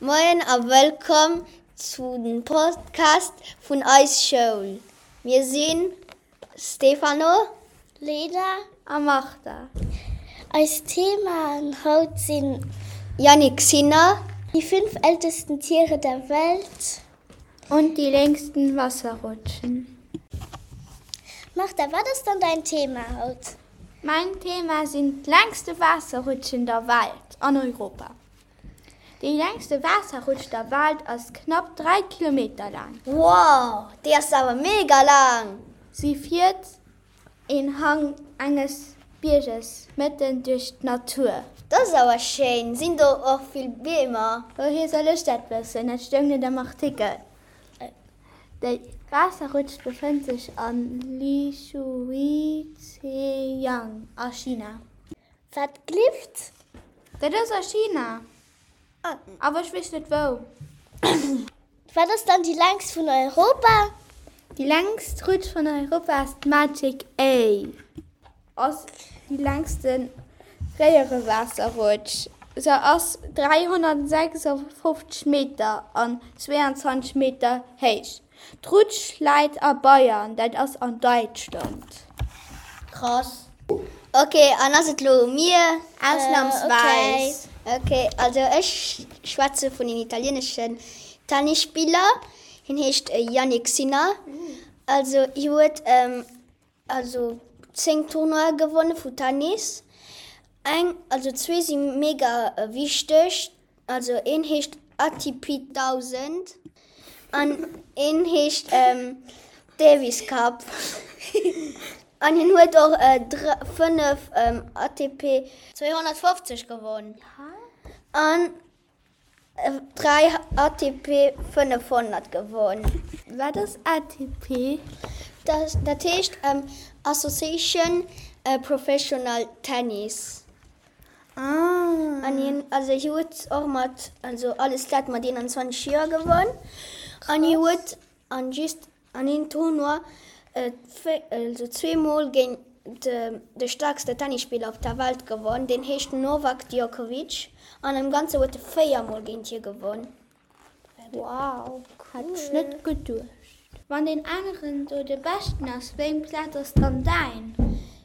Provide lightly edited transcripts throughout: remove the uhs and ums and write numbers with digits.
Moien a wëllkomm zu den Podcast vun eis Schoul. Mir sinn Stefano, Lena a Martha. Eis Themaen haut sinn. Jannik Sinner. Die fünf ältesten Tiere der Welt. Und die längsten Wasserrutschen. Martha, wat ass dann däin Thema haut? Mäin Thema sinn d'längste Waasserrutschen der Welt an Europa. Déi längste Waasserrutsch der Welt ass knapp 3 Kilometer laang. Wow, déi ass awer mega laang! Si fiert een Hang enges Bierges mëtten duerch d'Natur. Dat ass awer schéin! Sinn do och vill Beemer? Wouhier soll ech dat wëssen? Dat stoung net am Artikel. Déi Waasserrutsch befënnt sech a Lishuizhejiang a China. Wat glift? Dat ass a China, awer ech weess net wou. Wat ass dann déi längst vun Europa? Déi längst Rutsch vun Europa ass d'Magic A. Ass déi längste Réierewaasserrutsch. Se ass 356 Meter an 22 Meter héich. D'Rutsch läit a Bayern, dat ass an Däitschland. Krass. Ok, an ass et lo u mir? Ausnamsweis. Ok, also ech schwätze vun een italieneschen Tennisspiller. Hien heescht Jannik Sinner. Also hie huet Also 10 Tournoie gewonne vu Tennis. Eng, also zwee si mega wichteg. Also een heescht ATP 1000 an een heescht Davis Cup. An hien huet och 5 ATP 250 gewonn an 3 ATP 500 gewonn. Wat ass ATP? Dat heescht Association Professional Tennis. An hien, also hie huet och mat, also alles dat mat 21 Joer gewonn. An hie huet an just An een Tournoi also zweemol géint de staarkste Tennisspiller op der Welt gewonn, deen heescht Novak Djokovic an am Ganze huet e 4 mol géint hie gewonn. Wow, hat ech net geduecht. Wann deen aneren do de beschten ass, wéi eng Plaz ass dann däin?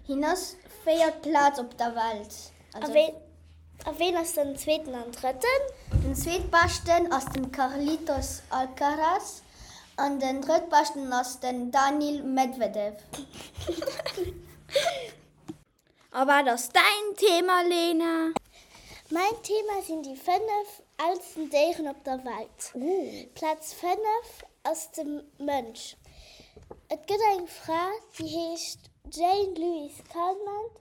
Hien ass véiert Plaz op der Welt. A ween ass den zweeten an drëtten? Den zweetbeschten ass den Carlitos Alcaraz an den drëttbeschten ass den Daniil Medvedev. A wat ass däin Thema, Lena? Mäin Thema sinn déi 5 aalsten Déieren op der Welt. Plaz 5 ass de Mënsch. Et gëtt eng Fra, déi heescht Jane Louise Calment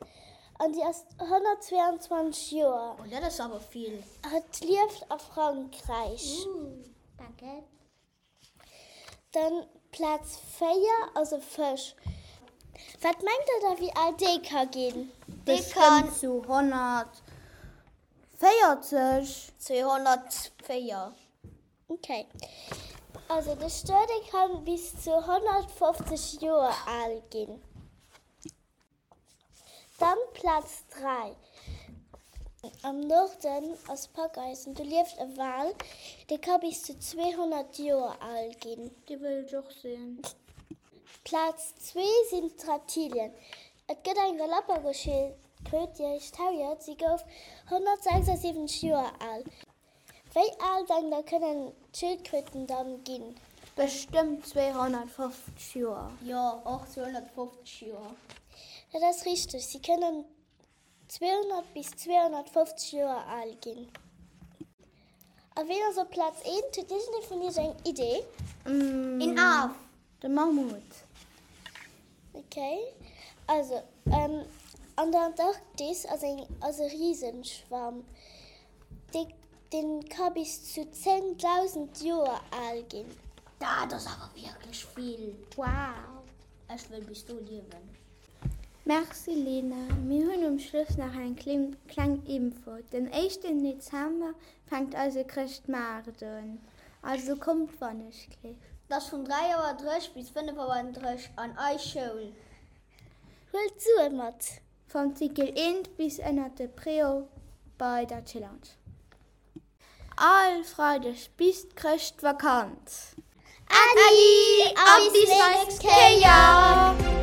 An déi ass 122 Joer. Oh, dat ass awer vill. Hatt lieft a Frankräich. Danke. Dann Plaz 4 ass e Fësch. Wat mengt der da wéi al dee ka ginn? Dee kann. Bestëmmt sou 140. 204. Ok. Also de Stuer dee kann bis zu 150 Joer al ginn. Dann Plaz 3, Am Norden ass Packeisen, do lieft e Wal, dee ka bis zu 200 Joer al ginn. Dee wëll ech och sinn. Plaz zwee sinn d'Reptilien. Et gëtt eng Galapagosschildkröt, déi heescht Harriet, si gouf 176 Joer al. Wéi al denkt der kënnen d'Schildkröten dann ginn? Bestëmmt 250 Joer. Jo, och 250 Joer. Dat ass richteg, si kënnen 200 bis 250 Joer al ginn. A ween ass op Plaz eent? Huet iergendee vun iech eng Idee? Een Af. De Mammut. Ok, also an der Antarktis ass eng ass e Risenschwamm. Dee dee ka bis zu 10.000 Joer al ginn. Dat ass awer wierklech vill! Wow! Ech wëll bis do liewen. Merci Lena. Mir hunn um Schluss nach eng kleng Info, Den éischten Dezember fänkt eise Chrëschtmaart un, also kommt wannechgleef. Et ass vun 3 Auer 30 bis 5 Auer 30 an eis Schoul. Huelt Sue mat! Vom Cycle 1 bis ënnert de Préau bei der Chillange. All Freideg bis d'Chrëschtvakanz. Äddi a bis nächst Kéier!